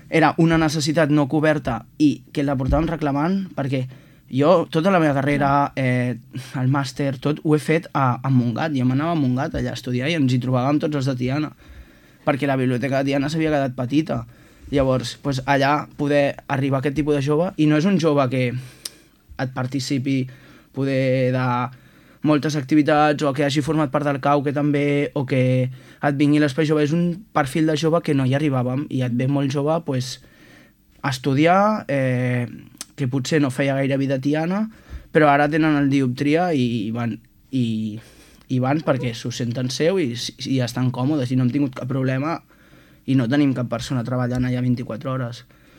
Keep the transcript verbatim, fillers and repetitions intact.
era una necessitat no coberta i que la portaven reclamant, perquè jo, tota la meva carrera, eh, el màster, tot, ho he fet a, a Montgat. Jo m'anava a Montgat allà a estudiar i ens hi trobàvem tots els de Tiana, perquè la biblioteca de Tiana s'havia quedat petita. Llavors, pues, allà poder arribar a aquest tipus de jove, i no és un jove que et participi poder de moltes activitats o que hagi format part del cau, que també, o que et vingui l'espai jove, és un perfil de jove que no hi arribàvem, i et ve molt jove pues, a estudiar, eh, que potser no feia gaire vida a Tiana, però ara tenen el dioptria i van, i, i van perquè s'ho senten seu i, i estan còmodes i no hem tingut cap problema i no tenim cap persona treballant allà vint-i-quatre hores.